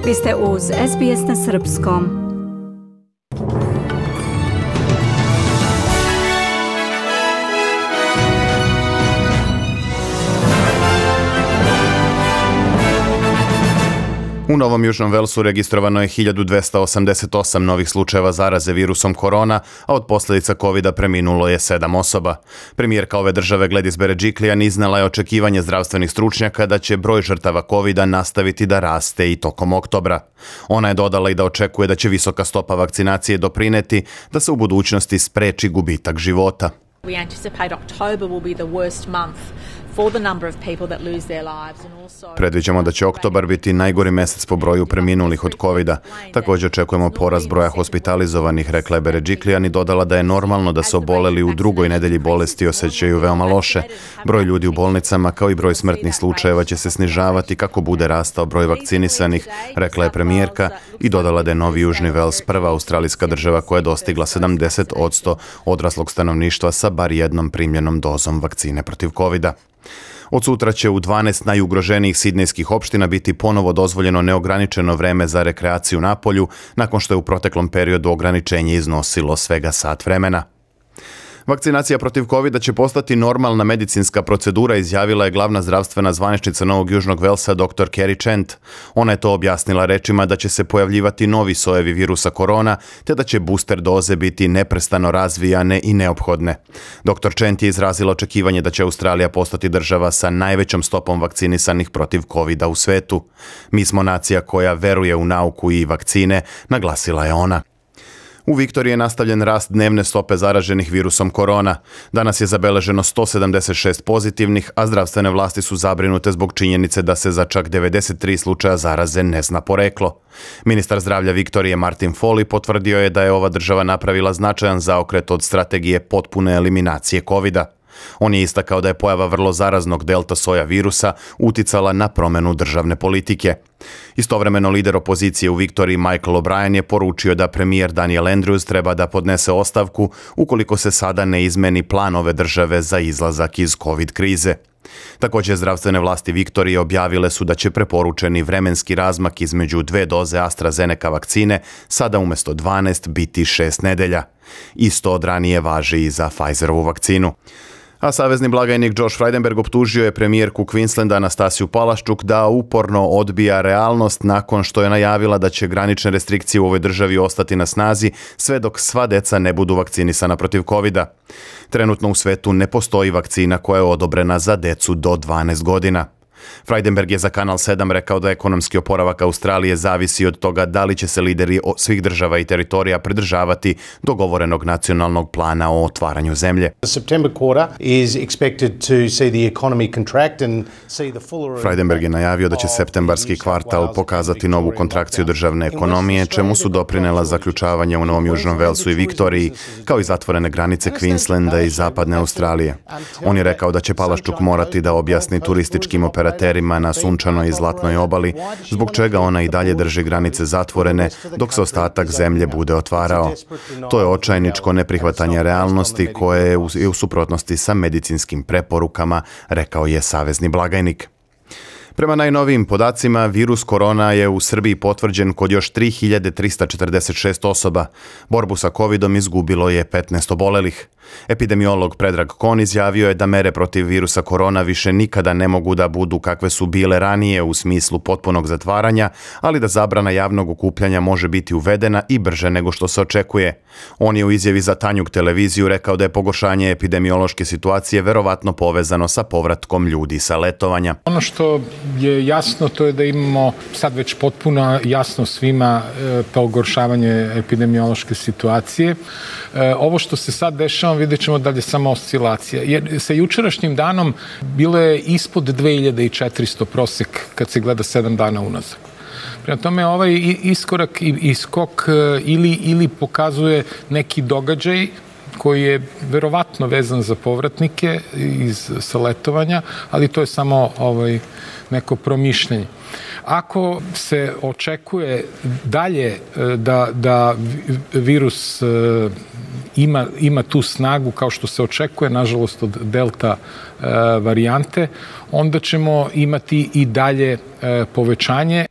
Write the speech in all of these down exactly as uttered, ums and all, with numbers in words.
Vi ste uz S B S na srpskom. U Novom Južnom Velsu registrovano je hiljadu dvesta osamdeset osam novih slučajeva zaraze virusom korona, a od posljedica kovida preminulo je sedam osoba. Premijerka ove države Gladys Berejiklian iznela je očekivanje zdravstvenih stručnjaka da će broj žrtava kovida nastaviti da raste i tokom oktobra. Ona je dodala i da očekuje da će visoka stopa vakcinacije doprineti da se u budućnosti spreči gubitak života. We anticipate October will be the worst month for the number of people that lose their lives and also Predviđamo da će oktobar biti najgori mjesec po broju preminulih od kovida. Također očekujemo porast broja hospitalizovanih, rekla je Berejiklian i dodala da je normalno da se oboleli u drugoj nedelji bolesti osjećaju veoma loše. Broj ljudi u bolnicama kao i broj smrtnih slučajeva će se snižavati kako bude rastao broj vakcinisanih, rekla je premijerka i dodala da je Novi Južni Vels prva australijska država koja je dostigla sedamdeset posto odraslog stanovništva sa bar jednom primljenom dozom vakcine protiv kovida. Od sutra će u dvanaest najugroženijih sidnejskih opština biti ponovo dozvoljeno neograničeno vreme za rekreaciju na polju, nakon što je u proteklom periodu ograničenje iznosilo svega sat vremena. Vakcinacija protiv kovida će postati normalna medicinska procedura, izjavila je glavna zdravstvena zvaničnica Novog Južnog Velsa dr Kerry Chant. Ona je to objasnila rečima da će se pojavljivati novi sojevi virusa korona, te da će booster doze biti neprestano razvijane i neophodne. dr Chant je izrazila očekivanje da će Australija postati država sa najvećom stopom vakcinisanih protiv kovida u svetu. Mi smo nacija koja veruje u nauku i vakcine, naglasila je ona. U Viktoriji je nastavljen rast dnevne stope zaraženih virusom korona. Danas je zabeleženo sto sedamdeset šest pozitivnih, a zdravstvene vlasti su zabrinute zbog činjenice da se za čak devedeset tri slučaja zaraze ne zna poreklo. Ministar zdravlja Viktorije Martin Foley potvrdio je da je ova država napravila značajan zaokret od strategije potpune eliminacije kovida. On je istakao da je pojava vrlo zaraznog delta soja virusa uticala na promjenu državne politike. Istovremeno lider opozicije u Viktoriji Michael O'Brien je poručio da premijer Daniel Andrews treba da podnese ostavku ukoliko se sada ne izmeni plan ove države za izlazak iz COVID krize. Također zdravstvene vlasti Viktorije objavile su da će preporučeni vremenski razmak između dve doze AstraZeneca vakcine sada umjesto dvanaest biti šest nedelja. Isto od ranije važi i za Pfizerovu vakcinu. A savezni blagajnik Josh Frydenberg optužio je premijerku Queenslanda Anastasiju Palaszczuk da uporno odbija realnost nakon što je najavila da će granične restrikcije u ovoj državi ostati na snazi sve dok sva deca ne budu vakcinisana protiv kovida. Trenutno u svetu ne postoji vakcina koja je odobrena za decu do dvanaest godina. Frydenberg je za Kanal sedam rekao da ekonomski oporavak Australije zavisi od toga da li će se lideri svih država i teritorija pridržavati dogovorenog nacionalnog plana o otvaranju zemlje. Frydenberg je najavio da će septembarski kvartal pokazati novu kontrakciju državne ekonomije, čemu su doprinela zaključavanje u Novom Južnom Velsu i Viktoriji, kao i zatvorene granice Queenslanda i zapadne Australije. On je rekao da će Palaszczuk morati da objasni turističkim operatorima na sunčanoj i zlatnoj obali, zbog čega ona i dalje drži granice zatvorene dok se ostatak zemlje bude otvarao. To je očajničko neprihvatanje realnosti koje je u suprotnosti sa medicinskim preporukama, rekao je savezni blagajnik. Prema najnovijim podacima, virus korona je u Srbiji potvrđen kod još tri hiljade trista četrdeset šest osoba. Borbu sa covidom izgubilo je petnaest obolelih. Epidemiolog Predrag Kon izjavio je da mere protiv virusa korona više nikada ne mogu da budu kakve su bile ranije u smislu potpunog zatvaranja, ali da zabrana javnog okupljanja može biti uvedena i brže nego što se očekuje. On je u izjavi za Tanjug televiziju rekao da je pogoršanje epidemiološke situacije verovatno povezano sa povratkom ljudi sa letovanja. Ono što je jasno to je da imamo sad već potpuno jasno svima pogoršavanje epidemiološke situacije. Ovo što se sad dešava vidjet ćemo da li je samo oscilacija. Jer sa jučerašnjim danom bilo je ispod dve hiljade četiristo prosek kad se gleda sedam dana unazad. Prema tome ovaj iskorak i skok ili, ili pokazuje neki događaj koji je verovatno vezan za povratnike iz sa letovanja, ali to je samo ovaj, neko promišljanje. Ako se očekuje dalje da, da virus ima, ima tu snagu kao što se očekuje, nažalost, od delta e, varijante, onda ćemo imati i dalje e, povećanje.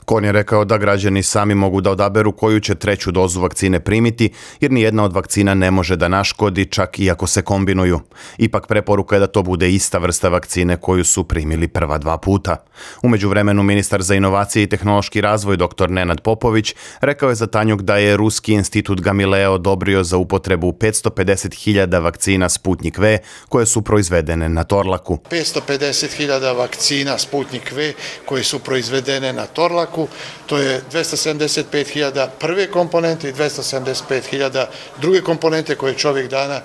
Kon je rekao da građani sami mogu da odaberu koju će treću dozu vakcine primiti, jer nijedna od vakcina ne može da naškodi, čak i ako se kombinuju. Ipak preporuka je da to bude ista vrsta vakcine koju su primili prva dva puta. U međuvremenu ministar za inovacije i tehnološki razvoj dr. Nenad Popović rekao je za Tanjug da je Ruski institut Gamileo odobrio za upotrebu petsto pedeset hiljada vakcina Sputnik V koje su proizvedene na Torlaku. petsto pedeset hiljada vakcina Sputnik V koje su proizvedene na Torlaku. To je dvesta sedamdeset pet hiljada prve komponente i dvesta sedamdeset pet hiljada druge komponente koje će ovih dana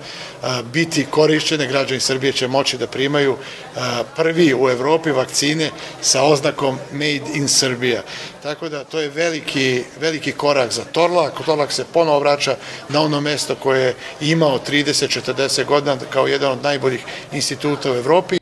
biti korišćene. Građani Srbije će moći da primaju prvi u Evropi vakcine sa oznakom Made in Serbia. Tako da to je veliki, veliki korak za Torlak. Torlak se ponovo vraća na ono mesto koje je imao trideset do četrdeset godina kao jedan od najboljih instituta u Evropi.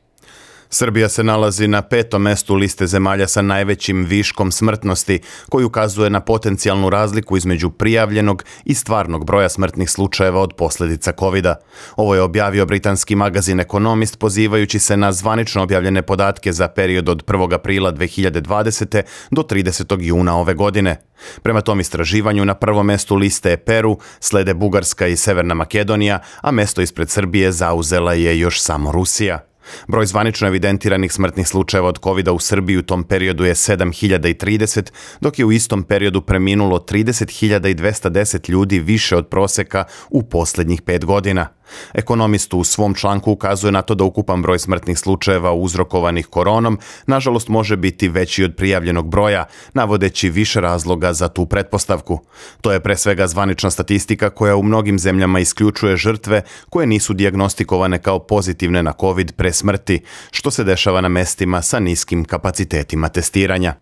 Srbija se nalazi na petom mestu liste zemalja sa najvećim viškom smrtnosti, koji ukazuje na potencijalnu razliku između prijavljenog i stvarnog broja smrtnih slučajeva od posljedica kovida. Ovo je objavio britanski magazin Economist pozivajući se na zvanično objavljene podatke za period od prvog aprila dve hiljade dvadesete. do tridesetog juna ove godine. Prema tom istraživanju na prvom mestu liste je Peru, slede Bugarska i Severna Makedonija, a mesto ispred Srbije zauzela je još samo Rusija. Broj zvanično evidentiranih smrtnih slučajeva od kovida u Srbiji u tom periodu je sedam hiljada trideset, dok je u istom periodu preminulo trideset hiljada dvesta deset ljudi više od proseka u posljednjih pet godina. Ekonomist u svom članku ukazuje na to da ukupan broj smrtnih slučajeva uzrokovanih koronom nažalost može biti veći od prijavljenog broja, navodeći više razloga za tu pretpostavku. To je pre svega zvanična statistika koja u mnogim zemljama isključuje žrtve koje nisu dijagnostikovane kao pozitivne na COVID pre smrti, što se dešava na mestima sa niskim kapacitetima testiranja.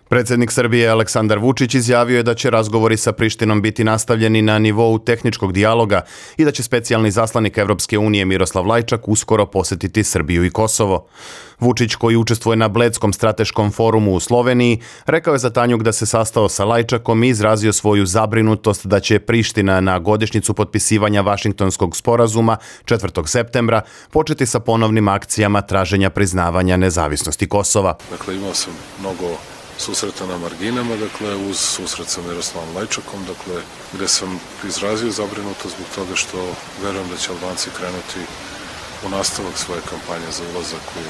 Predsjednik Srbije Aleksandar Vučić izjavio je da će razgovori sa Prištinom biti nastavljeni na nivou tehničkog dijaloga i da će specijalni zaslanik Evropske unije Miroslav Lajčak uskoro posjetiti Srbiju i Kosovo. Vučić, koji učestvuje na Bledskom strateškom forumu u Sloveniji, rekao je za Tanjug da se sastao sa Lajčakom i izrazio svoju zabrinutost da će Priština na godišnjicu potpisivanja Vašingtonskog sporazuma četvrtog septembra početi sa ponovnim akcijama traženja priznavanja nezavisnosti Kosova. Dakle, imao sam mnogo susreta na marginama, dakle, uz susret sa Miroslavom Lajčakom, dakle, gde sam izrazio zabrinutost zbog toga što verujem da će Albanci krenuti u nastavak svoje kampanje za ulazak u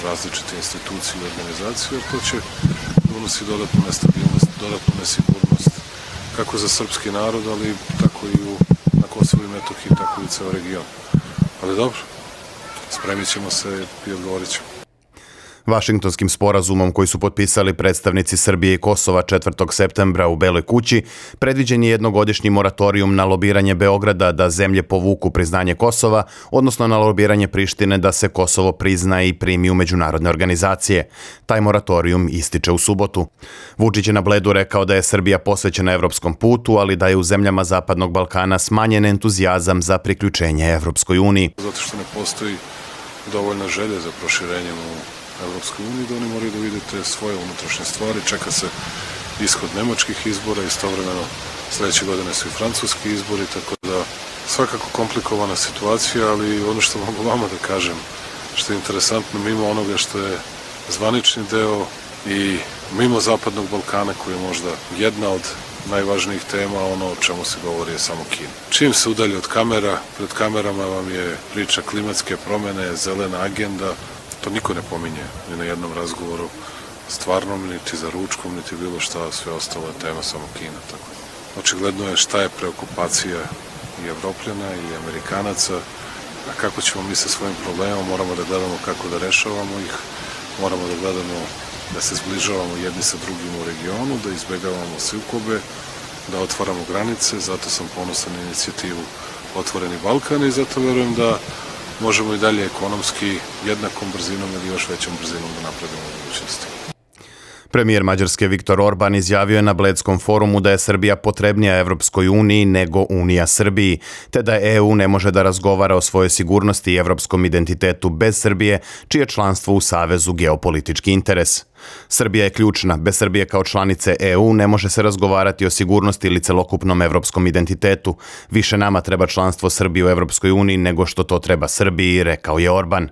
različite institucije i organizacije, jer to će unosi dodatnu nestabilnost, dodatnu nesigurnost, kako za srpski narod, ali tako i u, na Kosovu i Metohiji, tako i u ceo region. Ali dobro, spremit ćemo se i odgovorit ćemo. Vašingtonskim sporazumom koji su potpisali predstavnici Srbije i Kosova četvrtog septembra u Beloj kući predviđen je jednogodišnji moratorijum na lobiranje Beograda da zemlje povuku priznanje Kosova, odnosno na lobiranje Prištine da se Kosovo prizna i primi u međunarodne organizacije. Taj moratorijum ističe u subotu. Vučić je na Bledu rekao da je Srbija posvećena evropskom putu, ali da je u zemljama Zapadnog Balkana smanjen entuzijazam za priključenje Evropskoj uniji. Zato što ne postoji dovoljna želja za proširenjem u Evropskoj uniji, da oni moraju da vidite svoje unutrašnje stvari. Čeka se ishod nemačkih izbora, istovremeno sledeće godine su i francuski izbori, tako da svakako komplikovana situacija, ali ono što mogu vama da kažem, što je interesantno, mimo onoga što je zvanični deo i mimo Zapadnog Balkana, koji je možda jedna od najvažnijih tema, ono o čemu se govori je samo Kina. Čim se udalji od kamera, pred kamerama vam je priča klimatske promene, zelena agenda. To niko ne pominje ni na jednom razgovoru stvarnom, niti za ručkom, niti bilo šta, sve ostalo je tema samo Kina. Tako. Očigledno je šta je preokupacija i Evropljana i Amerikanaca, a kako ćemo mi sa svojim problemom, moramo da gledamo kako da rešavamo ih, moramo da gledamo da se zbližavamo jedni sa drugim u regionu, da izbegavamo sukobe, da otvaramo granice, zato sam ponosan na inicijativu Otvoreni Balkan i zato verujem da možemo i dalje ekonomski jednakom brzinom ili još većom brzinom da napredimo u budućnosti. Premijer Mađarske Viktor Orban izjavio je na Bledskom forumu da je Srbija potrebnija Evropskoj uniji nego Unija Srbiji, te da E U ne može da razgovara o svojoj sigurnosti i evropskom identitetu bez Srbije, čije članstvo u Savezu geopolitički interes. Srbija je ključna. Bez Srbije kao članice E U ne može se razgovarati o sigurnosti ili celokupnom evropskom identitetu. Više nama treba članstvo Srbije u Evropskoj uniji nego što to treba Srbiji, rekao je Orban.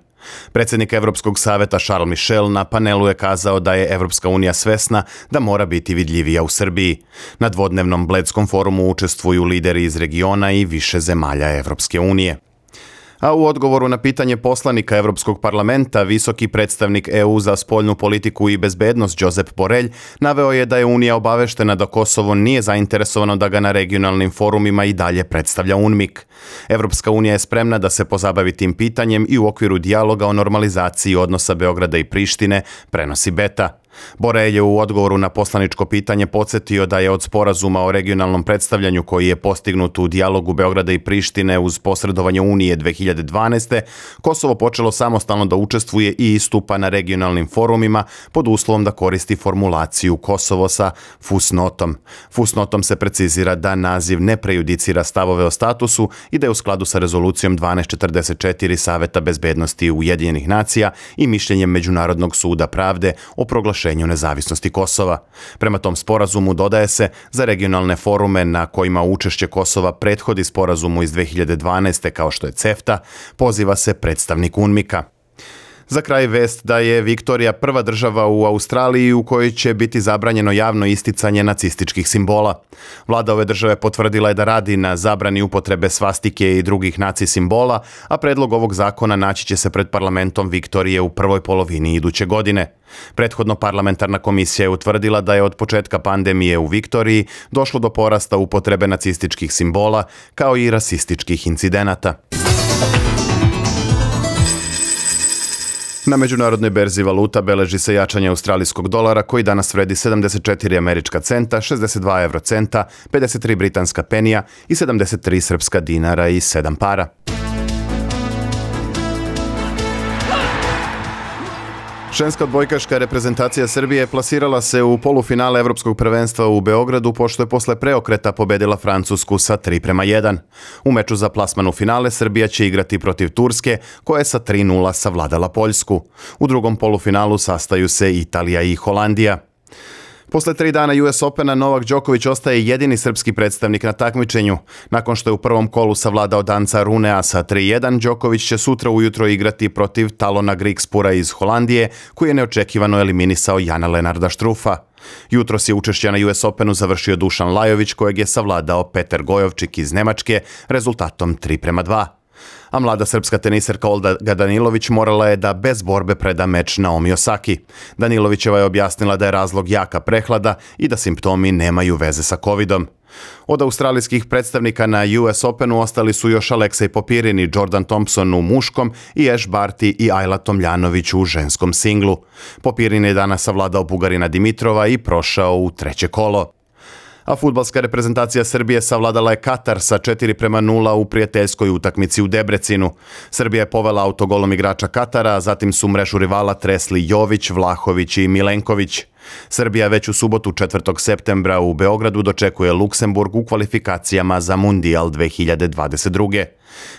Predsjednik Evropskog saveta Charles Michel na panelu je kazao da je Evropska unija svesna da mora biti vidljivija u Srbiji. Na dvodnevnom Bledskom forumu učestvuju lideri iz regiona i više zemalja Evropske unije. A u odgovoru na pitanje poslanika Evropskog parlamenta, visoki predstavnik E U za spoljnu politiku i bezbednost Josep Borrell naveo je da je Unija obaveštena da Kosovo nije zainteresovano da ga na regionalnim forumima i dalje predstavlja UNMIK. Evropska unija je spremna da se pozabavi tim pitanjem i u okviru dijaloga o normalizaciji odnosa Beograda i Prištine, prenosi Beta. Borrell je u odgovoru na poslaničko pitanje podsjetio da je od sporazuma o regionalnom predstavljanju koji je postignut u dijalogu Beograda i Prištine uz posredovanje Unije dve hiljade dvanaeste. Kosovo počelo samostalno da učestvuje i istupa na regionalnim forumima pod uslovom da koristi formulaciju Kosovo sa fusnotom. Fusnotom se precizira da naziv ne prejudicira stavove o statusu i da je u skladu sa rezolucijom dvanaest četrdeset četiri Saveta bezbednosti Ujedinjenih nacija i mišljenjem Međunarodnog suda pravde o proglašenju nezavisnosti Kosova. Prema tom sporazumu, dodaje se, za regionalne forume na kojima učešće Kosova prethodi sporazumu iz dve hiljade dvanaeste kao što je CEFTA, poziva se predstavnik UNMIK-a. Za kraj vest da je Viktorija prva država u Australiji u kojoj će biti zabranjeno javno isticanje nacističkih simbola. Vlada ove države potvrdila je da radi na zabrani upotrebe svastike i drugih naci simbola, a predlog ovog zakona naći će se pred parlamentom Viktorije u prvoj polovini iduće godine. Prethodno parlamentarna komisija je utvrdila da je od početka pandemije u Viktoriji došlo do porasta upotrebe nacističkih simbola kao i rasističkih incidenata. Na međunarodnoj berzi valuta beleži se jačanje australijskog dolara koji danas vredi sedamdeset četiri američka centa, šezdeset dva evrocenta, pedeset tri britanska penija i sedamdeset tri srpska dinara i sedam para. Ženska odbojkaška reprezentacija Srbije plasirala se u polufinale Evropskog prvenstva u Beogradu pošto je posle preokreta pobedila Francusku sa tri prema jedan. U meču za plasman u finale Srbija će igrati protiv Turske koja je sa tri nula savladala Poljsku. U drugom polufinalu sastaju se Italija i Holandija. Posle tri dana U S Opena Novak Đoković ostaje jedini srpski predstavnik na takmičenju. Nakon što je u prvom kolu savladao danca Runea sa tri jedan, Đoković će sutra ujutro igrati protiv Talona Grigspura iz Holandije, koji je neočekivano eliminisao Jana Lenarda Štrufa. Jutros je učešće na U S Openu završio Dušan Lajović, kojeg je savladao Peter Gojovčik iz Nemačke rezultatom tri prema dva. A mlada srpska teniserka Olga Danilović morala je da bez borbe preda meč Naomi Osaki. Danilovićeva je objasnila da je razlog jaka prehlada i da simptomi nemaju veze sa covidom. Od australijskih predstavnika na U S Openu ostali su još Aleksej Popirin i Jordan Thompson u muškom i Ash Barty i Ajla Tomljanović u ženskom singlu. Popirin je danas savladao Bugarina Dimitrova i prošao u treće kolo. A fudbalska reprezentacija Srbije savladala je Katar sa četiri prema nula u prijateljskoj utakmici u Debrecinu. Srbija je povela autogolom igrača Katara, a zatim su mrežu rivala tresli Jović, Vlahović i Milenković. Srbija već u subotu četvrtog septembra u Beogradu dočekuje Luksemburg u kvalifikacijama za Mundijal dve hiljade dvadeset druge.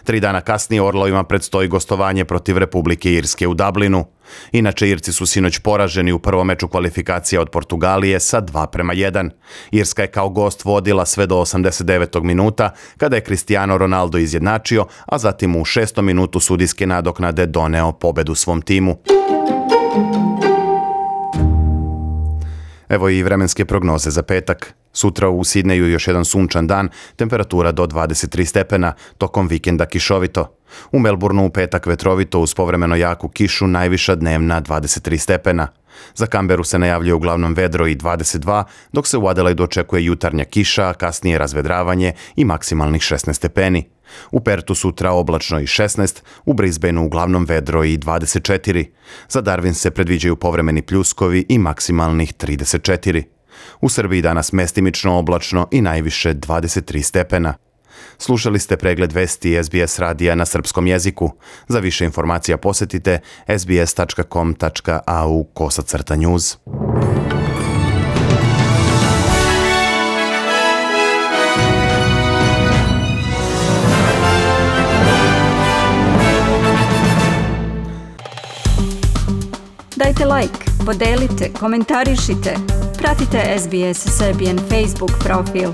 Tri dana kasnije Orlovima predstoji gostovanje protiv Republike Irske u Dublinu. Inače, Irci su sinoć poraženi u prvom meču kvalifikacija od Portugalije sa dva prema jedan. Irska je kao gost vodila sve do osamdeset devetog minuta, kada je Cristiano Ronaldo izjednačio, a zatim u šestom minutu sudijske nadoknade doneo pobedu svom timu. Evo i vremenske prognoze za petak. Sutra u Sidneju još jedan sunčan dan, temperatura do dvadeset tri stepena, tokom vikenda kišovito. U Melbourneu u petak vetrovito uz povremeno jaku kišu, najviša dnevna dvadeset tri stepena. Za Kamberu se najavljuje uglavnom vedro i dvadeset dva, dok se u Adelaidu očekuje jutarnja kiša, a kasnije razvedravanje i maksimalnih šesnaest stepeni. U Pertu sutra oblačno i šesnaest, u Brisbaneu uglavnom vedro i dvadeset četiri. Za Darwin se predviđaju povremeni pljuskovi i maksimalnih trideset četiri. U Srbiji danas mestimično oblačno i najviše dvadeset tri stepena. Slušali ste pregled vesti S B S radija na srpskom jeziku. Za više informacija posetite s b s tačka com tačka a u kosacrta news. Dajte like, podelite, komentarišite. Pratite S B S Serbian Facebook profil.